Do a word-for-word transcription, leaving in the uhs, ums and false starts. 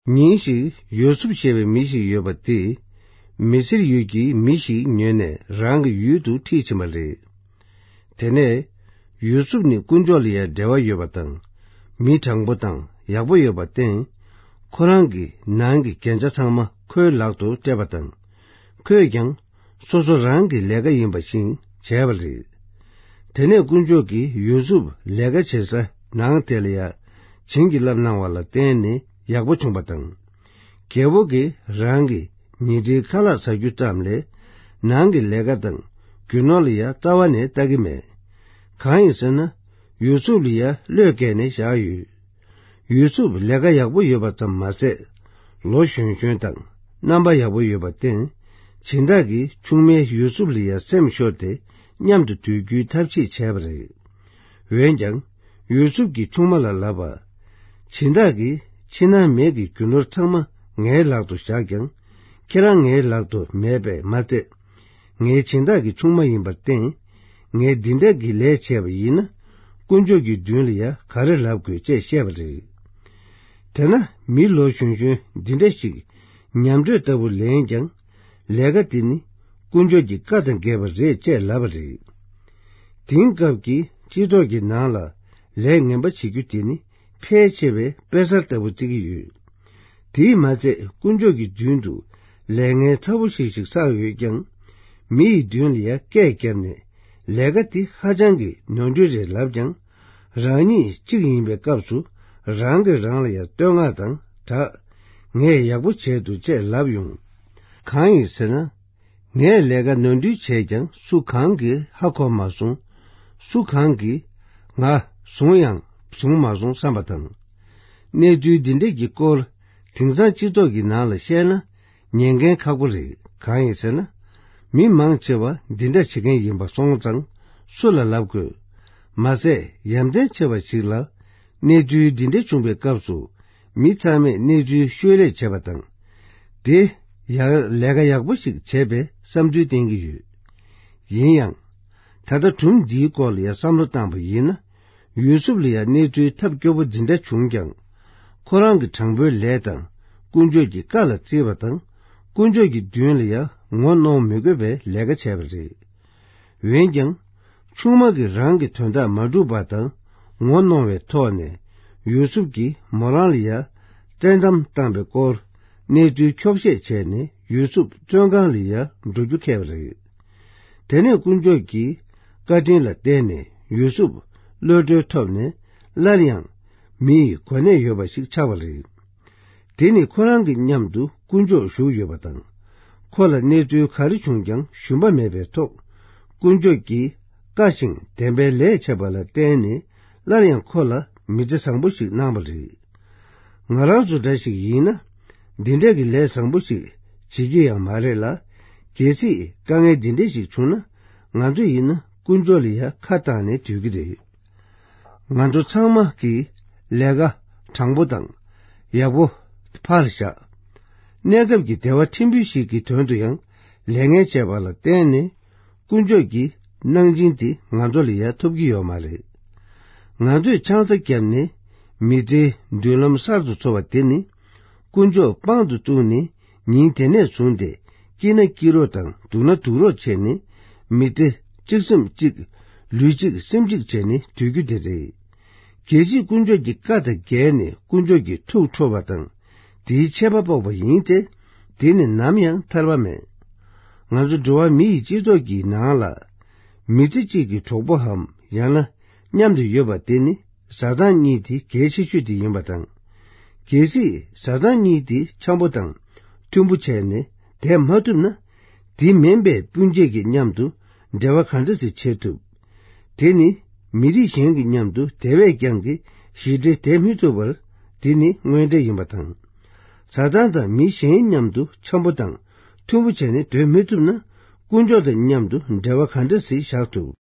ཉིན་ཞིག་ཡོ་སུབ་ཞེས་པའི་མི་ཞིག་ཡོད་པ་དེས། མི་སིར་ཡུལ་གྱི་མི་ཞིག་ཉོས་ནས་རང་གི་ཡུལ་དུ་ཁྲིད་ཕྱིན་པ་རེད། དེ་ནས་ཡོ་སུབ་ནི་དཀོན་མཆོག་ལ་ཡང་འབྲེལ་བ་ཡོད་པ་དང་། མི་དྲང་པོ་དང་ཡག་པོ་ཡོད་པར་བརྟེན། ཁོ་རང་གི་ནང་གི་རྒྱན་ཆ་ཚང་མ་ཁོའི་ལག་ཏུ་སྤྲད་པ་དང་། ཁོས་ཀྱང་སོ་སོ་རང་གི་ལས་ཀ་ཡིན་པ་བཞིན་བྱས་པ་རེད། དེ་ནས་དཀོན་མཆོག་གིས་ཡོ་སུབ་ལས་ཀ་བྱེད་ས་ནང་དེ་ལ་ཡང་བྱིན་གྱིས་བརླབས་གནང་བ་ལ་བརྟེན་ནས་ཡག་པོ་བྱུང་བ་དང་། རྒྱལ་པོ་གིས་རང་གི་ཉལ་ཁྲིའི་ཁ་ལག་ཟ་རྒྱུ་ཙམ་ལས། ནང་གི་ལས་ཀ་དང་རྒྱུ་ནོར་ལ་ཡང་རྩ་བ་ནས་ལྟ་གི་མེད། གང་ཡིན་ཟེར་ན། ཡོ་སུབ་ལ་ཡང་བློས་བཀལ་ནས་བཞག་ཡོད། ཡོ་སུབ་ལས་ཀ་ཡག་པོ་ཡོད་པ་ཙམ་མ་ཟད། ལོ་གཞོན་གཞོན་དང་རྣམ་པ་ཡག་པོ་ཡོད་པར་བརྟེན། སྦྱིན་བདག་གིས་ཆུང་མའི་ཡོ་སུབ་ལ་ཡང་སེམས་ཤོར་ཏེ་མཉམ་དུ་སྡོད་རྒྱུའི་ཐབས་ཤེས་བྱས་པ་རེད། འོན་ཀྱང་། ཡོ་སུབ་ཀྱིས་ཆུང་མ་ལ་ལབ་པ། སྦྱིན་བདག་གིས་ཕྱི་ནང་མེད་ཀྱི་རྒྱུ་ནོར་ཚང་མ་ངའི་ལག་ཏུ་བཞག་ཀྱང་། ཁྱེད་རང་ངའི་ལག་ཏུ་མེད་པས་མ་ཚད། ངའི་སྦྱིན་བདག་གི་ཆུང་མ་ཡིན་པར་བརྟེན། ངས་འདི་འདྲ་གི་ལས་བྱས་པ་ཡིན་ན། དཀོན་མཆོག་གི་མདུན་ལ་ཡང་ག་རེ་ལབ་དགོས་ཅེས་བཤད་པ་རེད། དེ་ན་མི་ལོ་གཞོན་གཞོན་འདི་འདྲ་ཞིག་ཉམས་དྲོད་ལྟ་བུ་ལེན་ཀྱང་། ལས་ཀ་འདི་ནི་དཀོན་མཆོག་གི་བཀའ་དང་འགལ་བ་རེད་ཅེས་ལབ་པ་རེད། དེང་སྐབས་ཀྱི་སྤྱི་ཚོགས་ཀྱི་ནང་ལ་ལས་ངན་པ་བྱེད་རྒྱུ་དེ་ནི་ཕལ་ཆེ་བས་དཔེ་གསར་ལྟ་བུ་བརྩི་གི་ཡོད། དེས་མ་ཚད་དཀོན་མཆོག་གི་མདུན་དུ་ལས་ངན་ཚ་བོ་ཞིག་ཞིག་བསགས་ཡོད་ཀྱང་། མི་ཡི་མདུན་ལ་ཡང་སྐད་བརྒྱབ་ནས་ལས་ཀ་འདི་ཧ་ཅང་གི་ནོར་འཁྲུལ་རེད་ལབ་ཀྱང་། རང་ཉིད་གཅིག་ཡིན་པའི་སྐབས་སུ་རང་གིས་རང་ལ་ཡང་བསྟོད་བསྔགས་དང་སྦྲགས། ངས་ཡག་པོ་བྱས་འདུག་ཅེས་ལབ་ཡོང་། གང་ཡིན་ཟེར་ན། ངས་ལས་ཀ་ནོར་འཁྲུལ་བྱས་ཀྱང་སུ་གང་གིས་ཧ་གོ་མ་སོང་། སུ་གང་གིས་ང་བཟུང་ཡང་བཟུང་མ་སོང་བསམ་པ་དང་། གནས་ཚུལ་འདི་འདྲ་གི་སྐོར་དེང་སང་སྤྱི་ཚོགས་ཀྱི་ནང་ལ་བཤད་ན་ཉན་མཁན་ཁག་པོ་རེད། གང་ཡིན་ཟེར་ན། མི་མང་ཆེ་བ་འདི་འདྲ་བྱེད་མཁན་ཡིན་པ་སོང་ཙང་སུ་ལ་ལབ་དགོས། མ་ཟད་ཡ་མཚན་ཆེ་བ་ཞིག་ལ། གནས་ཚུལ་འདི་འདྲ་བྱུང་བའི་སྐབས་སུ། མི་ཚང་མས་གནས་ཚུལ་ཤོད་ལས་བྱས་པ་དང་། དེ་ཡང་ལས་ཀ་ཡག་པོ་ཞིག་བྱས་པའི་བསམ་ཚུལ་བསྟན་གྱི་ཡོད། ཡིན་ཡང་། ད་ལྟ་སྒྲུང་འདིའི་སྐོར་ལ་ཡང་བསམ་བློ་བཏང་པ་ཡིན་ན། ཡུ་སུབ་ལ་ཡང་གནས་ཚུལ་ཐབས་སྐྱོ་པོ་འདི་འདྲ་བྱུང་ཀྱང་། ཁོ་རང་གི་དྲང་པོའི་ལས་དང་། དཀོན་མཆོག་གི་བཀའ་ལ་བརྩིས་པ་དང་། དཀོན་མཆོག་གི་མདུན་ལ་ཡང་ངོ་གནོང་མི་དགོས་པའི་ལས་ཀ་བྱས་པ་རེད། འོན་ཀྱང་། ཆུང་མ་གིས་རང་གི་དོན་དག་མ་འགྲུབ་པ་དང་ངོ་གནོང་བའི་ཐོག་ནས། ཡུ་སུབ་ཀྱིས་མོ་རང་ལ་ཡང་བཙན་གཏམ་བཏང་པའི་སྐོར། གནས་ཚུལ་འཁྱོག་བཤད་བྱས་ནས་ཡུ་སུབ་བཙོན་ཁང་ལ་ཡང་འགྲོ་རྒྱུ་འཁེལ་བ་རེད། དེ་ནས་དཀོན་མཆོག་གི་བཀའ་དྲིན་ལ་བརྟེན་ནས་ཡུ་སུབ་གློད་གྲོལ་ཐོབ་ནས། སླར་ཡང་མི་ཡི་གོ་གནས་ཡོད་པ་ཞིག་ཆགས་པ་རེད། དེ་ནི་ཁོ་རང་གི་མཉམ་དུ་དཀོན་མཆོག་བཞུགས་ཡོད་པ་དང་། ཁོ་ལ་གནས་ཚུལ་ག་རེ་བྱུང་ཀྱང་ཞུམ་པ་མེད་པའི་ཐོག། དཀོན་མཆོག་གིས་བཀའ་བཞིན་བདེན་པའི་ལས་བྱས་པ་ལ་བརྟེན་ནས། སླར་ཡང་ཁོ་ལ་མི་ཚེ་བཟང་པོ་ཞིག་གནང་བ་རེད། ང་རང་ཚོ་འདྲ་ཞིག་ཡིན་ན། འདི་འདྲ་གི་ལས་བཟང་པོ་ཞིག་བྱེད་ཀྱི་ཡང་མ་རེད་ལ། གལ་སྲིད་དཀའ་ངལ་འདི་འདྲ་ཞིག་བྱུང་ན། ང་ཚོ་ཡིན་ན་དཀོན་མཆོག་ལ་ཡང་ཁ་བཏང་ནས་སྡོད་ཀྱི་རེད། ང་ཚོ་ཚང་མ་གིས་ལས་ཀ་དྲང་པོ་དང་ཡག་པོ་ཕར་བཞག་གནས་སྐབས་ཀྱི་བདེ་བ་ཕྲན་བུ་ཞིག་གི་དོན་དུ་ཡང་ལས་ངན་བྱས་པ་ལ་བརྟེན་ནས། དཀོན་མཆོག་གི་གནང་སྦྱིན་དེ་ང་ཚོ་ལ་ཡང་ཐོབ་ཀྱི་ཡོད་མ་རེད། ང་ཚོས་ཆང་ས་བརྒྱབ་ནས་མི་ཚེའི་མདུན་ལམ་གསར་དུ་འཚོལ་བ་དེ་ནི། དཀོན་མཆོག་དཔང་དུ་བཙུགས་ནས་ཉིན་དེ་ནས་བཟུང་སྟེ། སྐྱིད་ན་སྐྱིད་རོགས་དང་སྡུག་ན་སྡུག་རོགས་བྱས་ནས། མི་ཚེ་གཅིག་སེམས་གཅིག་ལུས་གཅིག་སེམས་གཅིག་བྱས་ནས་སྡོད་རྒྱུ་དེ་རེད། གལ་སྲིད་དཀོན་མཆོག་གི་བཀའ་དང་འགལ་ནས་དཀོན་མཆོག་གི་ཐུགས་ཁྲོ་བ་དང་། དེའི་ཆད་པ་ཕོག་པ་ཡིན་ཚེ། དེ་ནི་ནམ་ཡང་ཐར་བ་མེད། ང་ཚོ་འགྲོ་བ་མི་ཡི་སྤྱི་ཚོགས་ཀྱི་ནང་ལ། མི་ཚེ་གཅིག་གི་གྲོགས་པོའམ་ཡང་ན་མཉམ་དུ་ཡོད་པ་དེ་ནི་བཟའ་ཚང་གཉིས་དེ་གལ་ཆེ་ཤོས་དེ་ཡིན་པ་དང་། གལ་སྲིད་བཟའ་ཚང་གཉིས་དེ་འཆམ་པོ་དང་མཐུན་པོ་བྱས་ནས་བསྡད་མ་ཐུབ་ན། དེ་མིན་པའི་སྤུན་མཆེད་ཀྱི་མཉམ་དུ་འབྲེལ་བ་ག་འདྲ་ཞིག་བྱེད་ཐུབ། དེ་ནི་མི་རིགས་གཞན་གྱི་མཉམ་དུ་དེ་བས་ཀྱང་གི་ཞི་བདེ་བསྡད་མི་ཐུབ་པར། དེ་ནི་དངོས་འབྲེལ་ཡིན་པ་དང་། བཟའ་ཚང་དང་མི་གཞན་མཉམ་དུ་འཆམ་པོ་དང་མཐུན་པོ་བྱས་ནས་སྡོད་མི་ཐུབ་ན། དཀོན་མཆོག་དང་མཉམ་དུ་འབྲེལ་བ་ག་འདྲ་ཞིག་བཞག་ཐུབ།